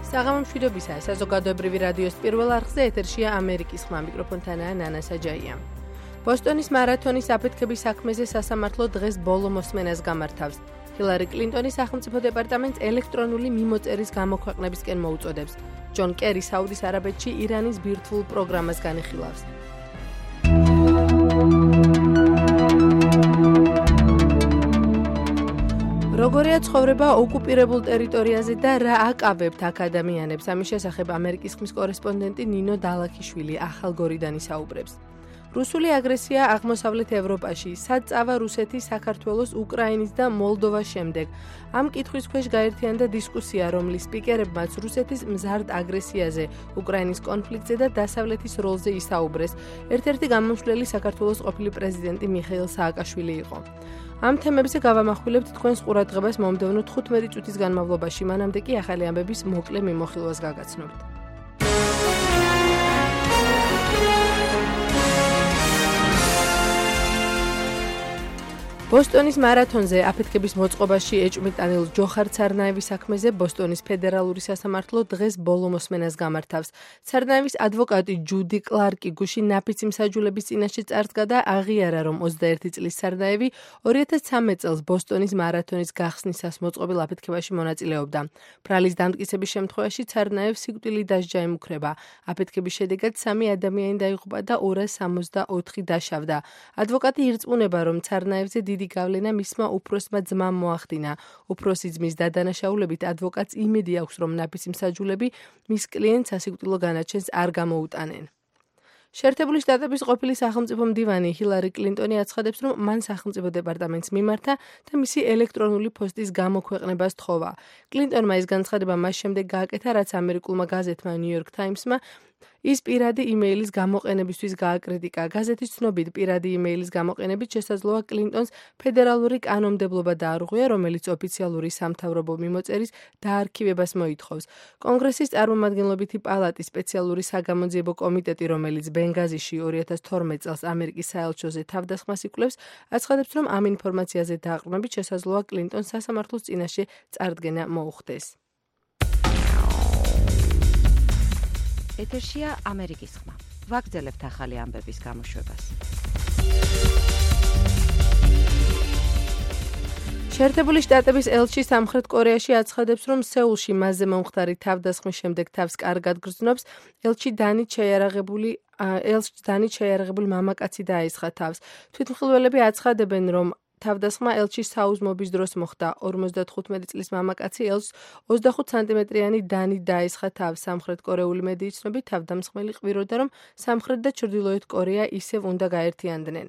საღამო მშვიდობისა, საზოგადოებრივი რადიოს პირველ არხზე ეთერშია ამერიკის ხმა, მიკროფონთანაა ნანა საჯაია. ბოსტონის მარათონის აფეთქების საქმეზე სასამართლო დღეს ბოლო მოსმენას გამართავს. ჰილარი კლინტონის სახელმწიფო დეპარტამენტს ელექტრონული მიმოწერის გამოქვეყნებისკენ მოუწოდებს. ჯონ კერი საუდის არაბეთში ირანის ბირთვულ პროგრამას განიხილავს. როგორია ცხოვრება ოკუპირებულ ტერიტორიაზე და რა აკავებთ აქ ადამიანებს? ამის შესახებ ამერიკის ხმის კორესპონდენტი ნინო დალაქიშვილი ახალგორიდან ისაუბრებს. რუსული აგრესია აღმოსავლეთ ევროპაში, სად წავა რუსეთი საქართველოს, უკრაინის და მოლდოვას შემდეგ. ამ კითხვის ქვეშ გაერთიანდა დისკუსია, რომლის სპიკერებმაც რუსეთის მზარდ აგრესიაზე, უკრაინის კონფლიქტზე და დასავლეთის როლზე ისაუბრეს. ერთ-ერთი გამომცვლელი საქართველოს ყოფილი პრეზიდენტი მიხეილ სააკაშვილი იყო. ამ თემებზე გავამახვილებთ თქვენს ყურადღებას მომდევნო 15 წუთის განმავლობაში, მანამდე კი ახალი ამბების მოკლე მიმოხილვას გაგაცნობთ. ბოსტონის მარათონზე აფეთქების მოწყობაში ეჭვმიტანილ ჯოხარ ცარნაევის საქმეზე ბოსტონის ფედერალური სასამართლო დღეს ბოლო მოსმენას გამართავს. ცარნაევის ადვოკატი ჯუდი კლარკი გუშინ ნაფიცი მსაჯულების წინაშე წარსდგა და აღიარა, რომ 21 წლის ცარნაევი 2013 წელს ბოსტონის მარათონის გახსნისას მოწყობილ აფეთქებაში მონაწილეობდა. ბრალის დამტკიცების შემთხვევაში ცარნაევს სიკვდილი დასჯა ემუქრება. აფეთქების შედეგად 3 ადამიანი დაიღუპა და 264 დაშავდა. ადვოკატი ირწმუნება, რომ ცარნაევზე დიდი გავლენა მისმა უფროსმა ძმამ მოახდინა. უფროსი ძმის დადანაშაულებით ადვოკატს იმედი აქვს, რომ ნაფიცი მსაჯულები მის კლიენტს სასიკვდილო განაჩენს არ გამოუტანენ. შეერთებული შტატების ყოფილი სახელმწიფო მდივანი ჰილარი კლინტონი აცხადებს, რომ მან სახელმწიფო დეპარტამენტს მიმართა და მისი ელექტრონული პოსტის გამოქვეყნებას თხოვა. კლინტონმა ეს განცხადება მას შემდეგ გააკეთა, რაც ამერიკულმა გაზეთმა New York Times-მა ის პირადი იმეილის გამოყენებისთვის გააკრიტიკა. გაზეთის ცნობით, პირადი იმეილის გამოყენებით შესაძლოა კლინტონს ფედერალური კანონმდებლობა დაარღვია, რომელიც ოფიციალური სამთავრობო მიმოწერის დაარქივებას მოითხოვს. კონგრესის წარმომადგენლობითი პალატის სპეციალური საგამოძიებო კომიტეტი, რომელიც ბენგაზიში 2012 წელს ამერიკის საელჩოზე თავდასხმას იკვლევს, აცხადებს, რომ ამ ინფორმაციაზე დაყრდნობით შესაძლოა კლინტონს სასამართლოს წინაშე წარდგენა მოუხდეს. ეთერშია ამერიკის ხმა. ვაგრძელებთ ახალი ამბების გამოშვებას. შეერთებული შტატების ელჩი სამხრეთ კორეაში აცხადებს, რომ სეულში მასზე მომხდარი თავდასხმის შემდეგ თავს კარგად გრძნობს. ელჩი დანით შეიარაღებული მამაკაცი დაესხა თავს. თვითმხილველები აცხადებენ, რომ თავდასხმა ელჩის საუზმობის დროს მოხდა. 55 წლის მამაკაცი ელჩს 25 სანტიმეტრიანი დანით დაესხა თავს. სამხრეთ კორეული მედიის ცნობით, თავდამსხმელი ყვიროდა, რომ სამხრეთ და ჩრდილოეთ კორეა ისევ უნდა გაერთიანდნენ.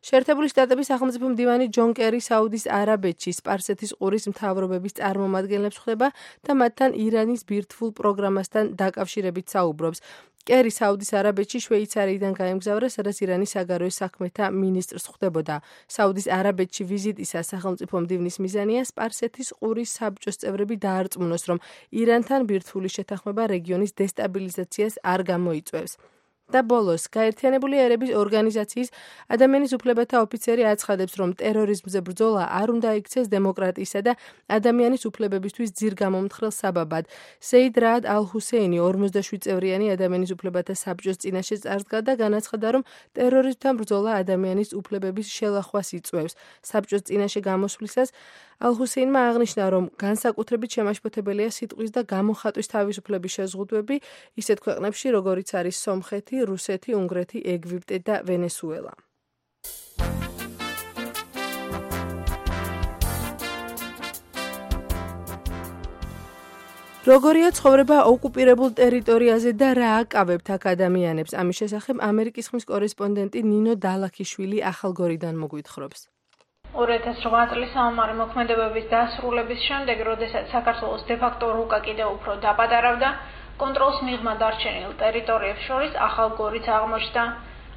შეერთებული შტატების სახელმწიფო მდივანი ჯონ კერი საუდის არაბეთში სპარსეთის ყურის მთავრობების წარმომადგენლებს ხვდება და მათთან ირანის ბირთვულ პროგრამასთან დაკავშირებით საუბრობს. კერი საუდის არაბეთში შვეიცარიიდან გაემგზავრა, სადაც ირანის საგარეო საქმეთა მინისტრს ხვდებოდა. საუდის არაბეთში ვიზიტისას სახელმწიფო მდივნის მიზანია სპარსეთის ყურის საბჭოს წევრები დაარწმუნოს, რომ ირანთან ბირთვული შეთანხმება რეგიონის დესტაბილიზაციას არ გამოიწვევს. და ბოლოს, გაერთიანებული ერების ორგანიზაციის ადამიანის უფლებათა ოფიცერი აცხადებს, რომ ტერორიზმზე ბრძოლა არ უნდა იქცეს დემოკრატიისა და ადამიანის უფლებებისთვის ძირგამომთხრელ საბაბად. სეიდ რაად ალ-ჰუსეინი 47 წევრიანი ადამიანის უფლებათა საბჭოს წინაშე წარსდგა და განაცხადა, რომ ტერორიზმთან ბრძოლა ადამიანის უფლებების შელახვას იწვევს. საბჭოს წინაშე გამოსვლისას ალ-ჰუსეინმა აღნიშნა, რომ განსაკუთრებით შემაშფოთებელია სიტყვის და გამოხატვის თავისუფლების შეზღუდვები ისეთ ქვეყნებში, როგორიც არის სომხეთი, რუსეთი, უნგრეთი, ეგვიპტე და ვენესუელა. როგორია ცხოვრება ოკუპირებულ ტერიტორიაზე და რა აკავებთ აქ ადამიანებს? ამის შესახებ ამერიკის ხმის კორესპონდენტი ნინო დალაქიშვილი ახალგორიდან მოგვითხრობს. 2008 წლის საომარი მოქმედებების დასრულების შემდეგ, როდესაც საქართველოს დე-ფაქტო რუკა კიდევ უფრო დაპატარავდა, კონტროლს მიღმა დარჩენილ ტერიტორიებს შორის ახალგორიც აღმოჩნდა.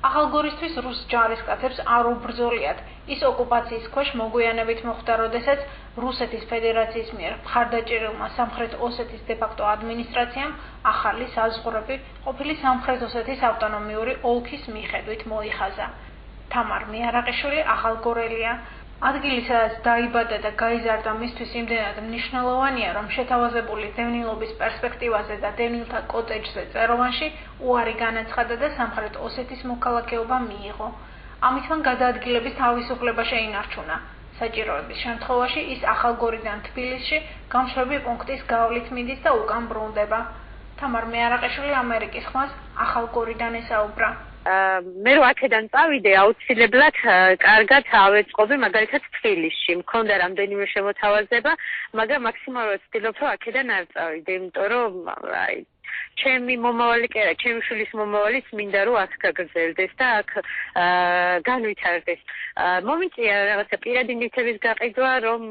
ახალგორისთვის რუს ჯარისკაცებს არ უბრძოლიათ. ის ოკუპაციის ქვეშ მოგვიანებით მოხდა, როდესაც რუსეთის ფედერაციის მიერ მხარდაჭერილმა სამხრეთ ოსეთის დე-ფაქტო ადმინისტრაციამ ახალი საზღვრები ყოფილი სამხრეთ ოსეთის ავტონომიური ოლქის მიხედვით მოიხაზა. თამარ მიარაყიშვილი ახალგორელია. ადგილი, სადაც დაიბადა და გაიზარდა მისთვის იმდენად მნიშვნელოვანია, რომ შეთავაზებული დევნილობის პერსპექტივაზე და დევნილთა კოტეჯზე წეროვანში უარი განაცხადა და სამხრეთ ოსეთის მოქალაქეობა მიიღო. ამით მან გადაადგილების თავისუფლება შეინარჩუნა. საჭიროების შემთხვევაში ის ახალგორიდან თბილისში გამშვები პუნქტის გავლით მიდის და უკან ბრუნდება. თამარ მეარაყიშვილი ამერიკის ხმას ახალგორიდან ესაუბრა. მე რო აქედან წავიდე, აუცილებლად კარგად ავეწყობი მაგალითად თბილისში. მქონდა რამდენიმე შემოთავაზება, მაგრამ მაქსიმალურად ვცდილობ, რომ აქედან არ წავიდე, იმიტომ რომ ჩემი მომავალი კი არა, ჩემი შვილის მომავალიც მინდა რომ აქ გაგრძელდეს და აქ განვითარდეს. მომიწია რაღაცა პირადი ნივთების გაყიდვა, რომ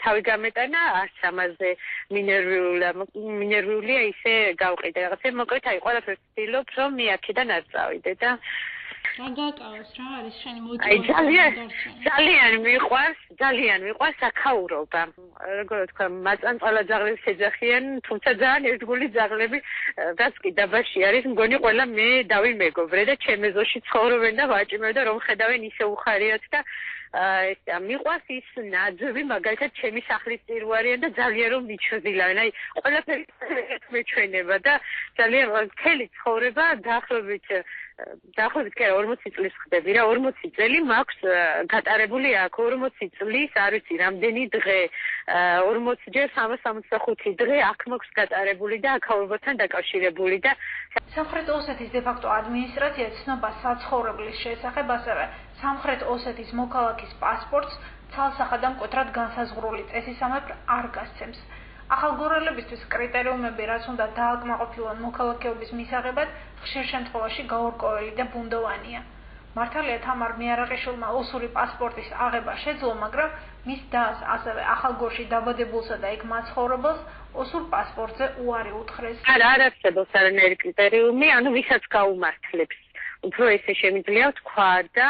თავი გამეტანა, არც ამაზე მინერვიულია ისე გავყიდე. რაღაცა მოკლედ აი ყველაფერს ვცდილობ, რომ მე აქედან არ წავიდე და რა გაკავებს, რა არის შენი мотивация? ძალიან მიყვარს აქაურობა. როგორ ვთქვა, მაწანწალა ძაღლებს ეძახიან, თუმცა ძალიან ერთგული ძაღლები რაც კი დაბაში არის, მგონი ყველა მე დავიმეგობრე და ჩემ ეზოში ცხოვრობენ და ვაჭიმებ და რომ ხედავენ ისე უხარიათ და მიყვარს ის ნაძვი, მაგალითად ჩემი სახლის წირვარიან და ძალიან რომ მიჩვდილავენ. აი ყველაფერი მეჩვენება და ძალიან მთელი ცხოვრება დაახლოებით კი 40 წლის ხდები რა, 40 წელი მაქვს გატარებული აქ, 40 წლის, არ ვიცი, რამდენი დღე, 40 ჯერ 365 დღე აქ მაქვს გატარებული და აქაურობასთან დაკავშირებული და სამხრეთ ოსეთის დე-ფაქტო ადმინისტრაცია ცნობა საცხოვრებლის შესახებ, ასევე სამხრეთ ოსეთის მოქალაქის პასპორტს ცალსახად და მკვეთრად განსაზღვრული წესისამებრ არ გასცემს. ახალგორელებისთვის კრიტერიუმები, რაც უნდა დააკმაყოფილონ მოქალაქეობის მისაღებად, ხშირ შემთხვევაში გაურკვეველი და ბუნდოვანია. მართალია თამარ მეარაყიშვილმა ოსური პასპორტის აღება შეძლო, მაგრამ მის დას, ასევე ახალგორში დაბადებულსა და იქ მაცხოვრებელს ოსურ პასპორტზე უარი უთხრეს. არ არსებობს არანაირი კრიტერიუმი, ანუ ვისაც გაუმართლებს. უფრო ესე შემიძლია ვთქვა და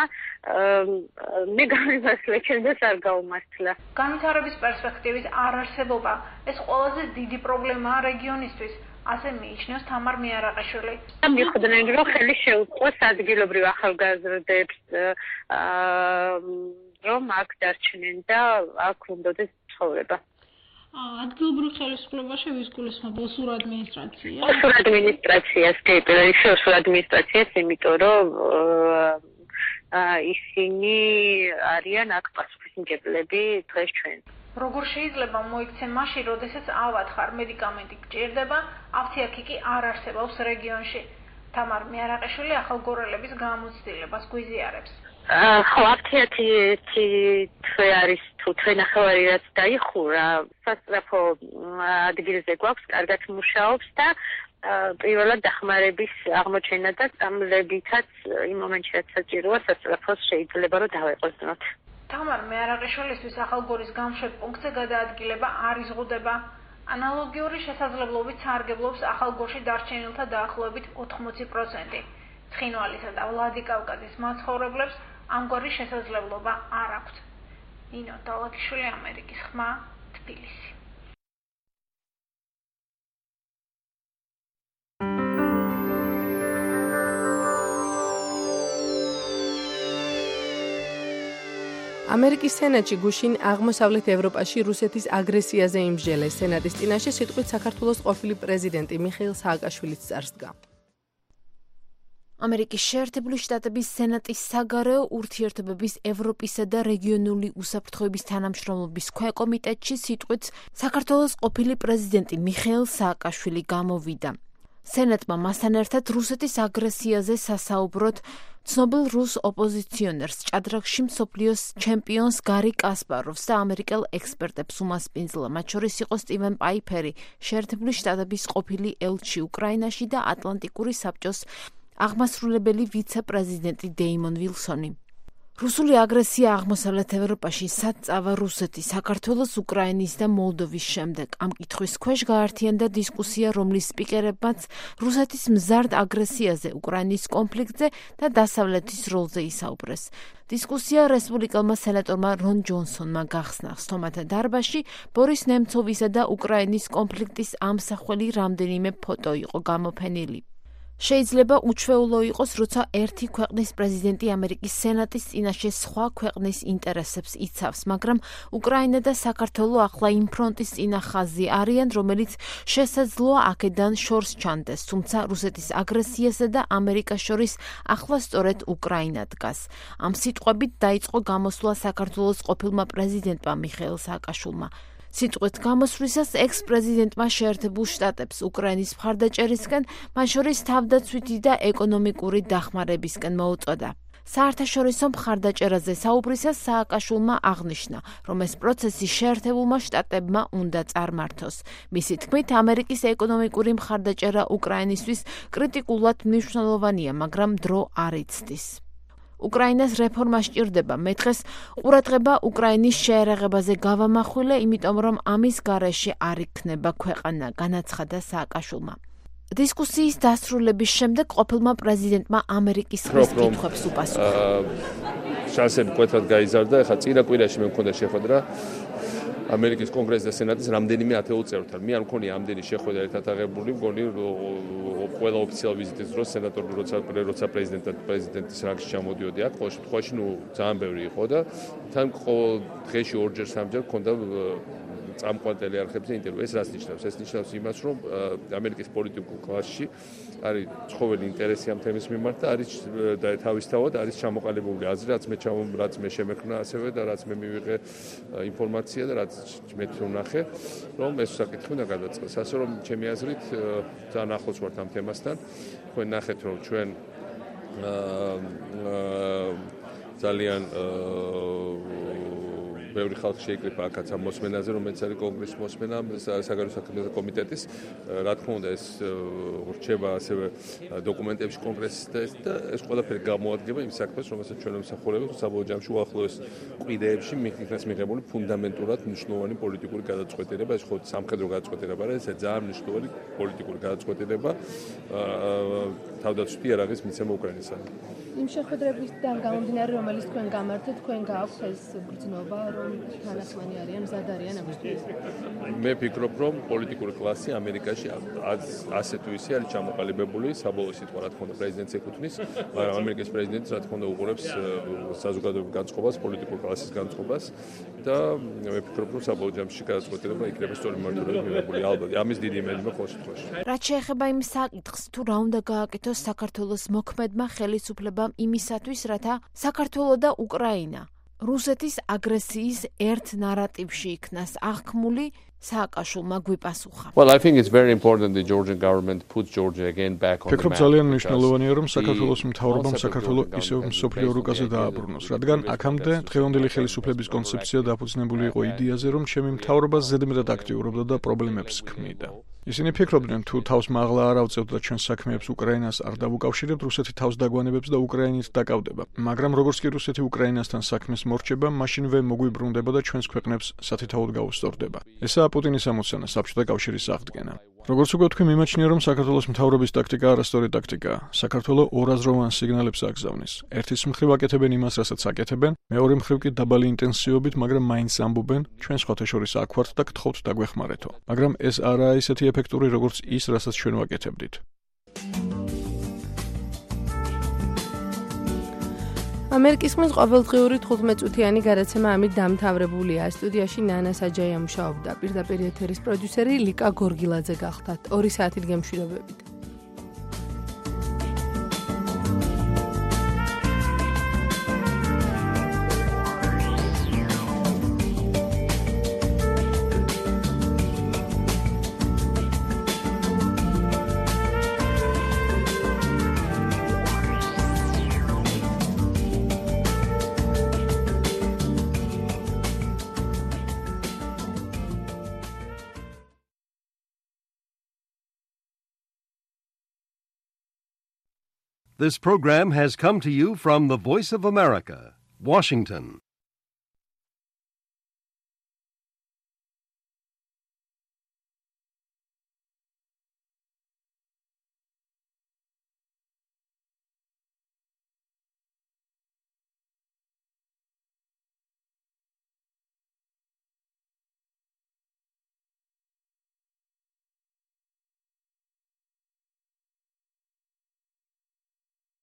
მე გამიმართლა, ჩემს არ გაუმართლა. განვითარების პერსპექტივის არარსებობა ეს ყველაზე დიდი პრობლემაა რეგიონისთვის, ასე მიიჩნევს თამარ მეარაყიშვილი. მიხვდნენ, რომ ხელი შეუწყოს ადგილობრივ ახალგაზრდებს, რომ აქ დარჩნენ და აქ უნდადეს ცხოვრება. ადგილობრივ ხელისუფლებაში ვის გულისხმობ, ოსურ ადმინისტრაციას? ოსურ ადმინისტრაციას, კი, პირველში ოსურ ადმინისტრაციას, იმიტომ რომ ისინი არიან აქ პასუხისმგებლები დღეს ჩვენ. როგორ შეიძლება მოიქცე მაშინ, როდესაც ავად ხარ, მედიკამენტი გჭირდება, აფთიაქი კი არ არსებობს რეგიონში. თამარ მეარაყიშვილი ახალგორელების გამოცდილებას გვიზიარებს. ხო, აფთიაქი თვე არის თუ თვენახევარი რაც დაიხურა, სასწრაფო ადგილზე გვაქვს, კარგად მუშაობს და პირველად დახმარების აღმოჩენა და წამლებითაც იმ მომენტში რაც საჭიროა სასწრაფოს შეიძლება რომ დავეყოწნოთ. თამარ მეარაყიშვილისთვის ახალგორის გამშვებ პუნქტზე გადაადგილება არ იზღუდება. ანალოგიური შესაძლებლობით სარგებლობს ახალგორში დარჩენილთა დაახლოებით 80%. ცხინვალისა და ვლადიკავკაზის მაცხოვრებლებს ამგვარი შესაძლებლობა არ აქვთ. ნინო დალაგიშვილი, ამერიკის ხმა, თბილისი. ამერიკის სენატში გუშინ აღმოსავლეთ ევროპაში რუსეთის აგრესიაზე იმსჯელეს. სენატის წინაშე სიტყვით საქართველოს ყოფილი პრეზიდენტი მიხეილ სააკაშვილიც წარსდგა. ამერიკის შეერთებული შტატების სენატის საგარეო ურთიერთობების ევროპისა და რეგიონული უსაფრთხოების თანამშრომლობის ქვეკომიტეტში სიტყვით საქართველოს ყოფილი პრეზიდენტი მიხეილ სააკაშვილი გამოვიდა. სენატმა მასთან ერთად რუსეთის აგრესიაზე სასაუბროდ ცნობილ რუს ოპოზიციონერს ჭადრაკში მსოფლიოს ჩემპიონს გარი კასპაროვს და ამერიკელ ექსპერტებს უმასპინძლა, მათ შორის იყო სტივენ პაიფერი, შეერთებული შტატების ყოფილი ელჩი უკრაინაში და ატლანტიკური საბჭოს აღმასრულებელი ვიცე-პრეზიდენტი დეიმონ ვილსონი. რუსული აგრესია აღმოსავლეთ ევროპაში სად წავა რუსეთი, საქართველოს, უკრაინის და მოლდოვის შემდეგ. ამ კითხვის ქვეშ გაართიანდა დისკუსია, რომლის სპიკერებმაც რუსეთის მზარდ აგრესიაზე, უკრაინის კონფლიქტზე და დასავლეთის როლზე ისაუბრეს. დისკუსია რესპუბლიკელმა სენატორმა რონ ჯონსონმა გახსნა. სტომათა დარბაზში ბორის ნემცოვისა და უკრაინის კონფლიქტის ამსახველი რამდენიმე ფოტო იყო გამოფენილი. შეიძლება უჩვეულო იყოს, როცა ერთი ქვეყნის პრეზიდენტი ამერიკის სენატის წინაშე სხვა ქვეყნის ინტერესებს იცავს, მაგრამ უკრაინა და საქართველო ახლა იმ ფრონტის წინა ხაზი არიან, რომელიც შესაძლოა აქედან შორს ჩანდეს, თუმცა რუსეთის აგრესიასა და ამერიკას შორის ახლა სწორედ უკრაინა დგას. ამ სიტყვებით დაიწყო გამოსვლა საქართველოს ყოფილმა პრეზიდენტმა მიხეილ სააკაშვილმა. სიტყვით გამოსვლისას ექს-პრეზიდენტმა შეერთებულ შტატებს უკრაინის მხარდაჭერისკენ, მათ შორის თავდაცვითი და ეკონომიკური დახმარებისკენ მოუწოდა. საერთაშორისო მხარდაჭერაზე საუბრისას სააკაშვილმა აღნიშნა, რომ ეს პროცესი შეერთებულმა შტატებმა უნდა წარმართოს. მისი თქმით, ამერიკის ეკონომიკური მხარდაჭერა უკრაინისთვის კრიტიკულად მნიშვნელოვანია, მაგრამ დრო არ იცდის. უკრაინას რეფორმა სჭირდება. მე დღეს ყურადღება უკრაინის შეერაღებაზე გავამახვილე, იმიტომ რომ ამის გარეშე არ იქნება ქვეყანა, განაცხადა სააკაშვილმა. დისკუსიის დასრულების შემდეგ ყოფილმა პრეზიდენტმა ამერიკის ხმის კითხვებს უპასუხა. შანსები კვეთრად გაიზარდა, ეხლა წინა კვირაში მე მქონდა შეხვედრა ამერიკის კონგრესის და სენატის რამდენიმე ათეულ წევრთან. მე არ მქონია ამდენი შეხვედრა ერთად აღებული, მგონი ყველა ოფიციალურ ვიზიტის დროს სენატორი როცა პრეზიდენტის რანგში ჩამოდიოდი აქ, ყოველ შემთხვევაში ძალიან ბევრი იყო და თან დღეში ორჯერ სამჯერ მქონდა წამყვან ტელეარხებზე ინტერვიუ. ეს რას ნიშნავს? ეს ნიშნავს იმას, რომ ამერიკის პოლიტიკურ კლასში არის ცხოველი ინტერესი ამ თემის მიმართ და არის და თავისთავად არის ჩამოყალიბებული აზრი, რაც მე შემექმნა ასევე და რაც მე მივიღე ინფორმაცია და რაც მე ვნახე, რომ ეს საკითხი უნდა გადაწყდეს. ასე რომ ჩემი აზრით ძალიან ახლოს ვართ ამ თემასთან. თქვენ ნახეთ, რომ ჩვენ ძალიან ბევრი ხალხი შეიკრიფა აქაც ამ მოსმენაზე, რომელიც არის კონგრესის მოსმენა საგარეო საქმეთა კომიტეტის. რა თქმა უნდა, ეს რჩება ასევე დოკუმენტებში კონგრესის და ეს ყველაფერი გამოადგება იმ საქმეს, რომელსაც ჩვენ ვიმსახურებთ საბოლოო ჯამში უახლოეს კვირეებში იქნას მიღებული ფუნდამენტურად მნიშვნელოვანი პოლიტიკური გადაწყვეტილება. ეს ხო სამხედრო გადაწყვეტილება არა, ეს ძალიან მნიშვნელოვანი პოლიტიკური გადაწყვეტილება თავდაცვითი იარაღის მიცემა უკრაინასთან. იმ შეხვედრებისგან გამომდინარე, რომელიც თქვენ გამართეთ, თქვენ გააქვთ ეს ბრძნობა, რომ თანახმანი არიან, მზად არიან ამისთვის? მე ვფიქრობ, რომ პოლიტიკური კლასი ამერიკაში ასე თუ ისე არის ჩამოყალიბებული, საბოლოო სიტყვა რა თქმა უნდა პრეზიდენტს ეკუთვნის, მაგრამ ამერიკის პრეზიდენტი რა თქმა უნდა უყურებს საზოგადოების განწყობას, პოლიტიკური კლასის განწყობას და მე ვფიქრობ, რომ საბოლოო ჯამში გადაწყვეტილება იქნება სწორი მიმართულებით მიღებული. ალბათ, ამის დიდი იმედი მაქვს ყოველ შემთხვევაში. რაც შეეხება იმ საკითხს, თუ რა უნდა გააკეთოს საქართველოს მოქმედმა ხელისუფლებამ იმისათვის, რათა საქართველო და უკრაინა რუსეთის აგრესიის ერთ ნარატივში იქნას აღქმული, სააკაშვილმა გვიპასუხა. Well, I think it's very important the Georgian government puts Georgia again back on the map. ფიქრობ ძალიან მნიშვნელოვანია, რომ საქართველოს მთავრობამ საქართველო ისევ მსოფლიო რუკაზე დააბრუნოს, რადგან აქამდე დღევანდელი ხელისუფლების კონცეფცია დაფუძნებული იყო იდეაზე, რომ ჩემი მთავრობა ზედმეტად აქტიურობდა და პრობლემებს ქმნიდა. ისინი ფიქრობდნენ, თუ თავს მაღლა არ ავწევთ და ჩვენ საქმეებს უკრაინას არ დავუკავშირებთ, რუსეთი თავს დაგვანებებს და უკრაინით დაკავდება. მაგრამ როგორც კი რუსეთი უკრაინასთან საქმეს მორჩება, მაშინვე მოგვიბრუნდება და ჩვენს ქვეყნებს სათითაოდ გაუსწორდება. ესაა პუტინის ამოცანა, საბჭოთა კავშირის აღდგენა. როგორც უკვე თქვი, მიმაჩნია, რომ საქართველოს მთავრობის ტაქტიკა არასწორი ტაქტიკაა. საქართველო ორაზროვან სიგნალებს აგზავნის. ერთის მხრივ აკეთებენ იმას, რასაც აკეთებენ, მეორე მხრივ კი დაბალი ინტენსივობით, მაგრამ მაინც ამბობენ, ჩვენ სხვათა შორის აქ ვართ და გთხოვთ დაგვეხმარეთო. მაგრამ ეს არაა ისეთი ეფექტური, როგორც ის, რასაც ჩვენ ვაკეთებდით. ამერიკის ხმის ყოველდღიური 15 წუთიანი გადაცემა ამით დამთავრებულია. სტუდიაში ნანა საჯაია მუშაობდა. პირდაპირ ეთერის პროდიუსერი ლიკა გორგილაძე გახდათ. 2 საათით გემშვიდობებით. This program has come to you from the Voice of America, Washington.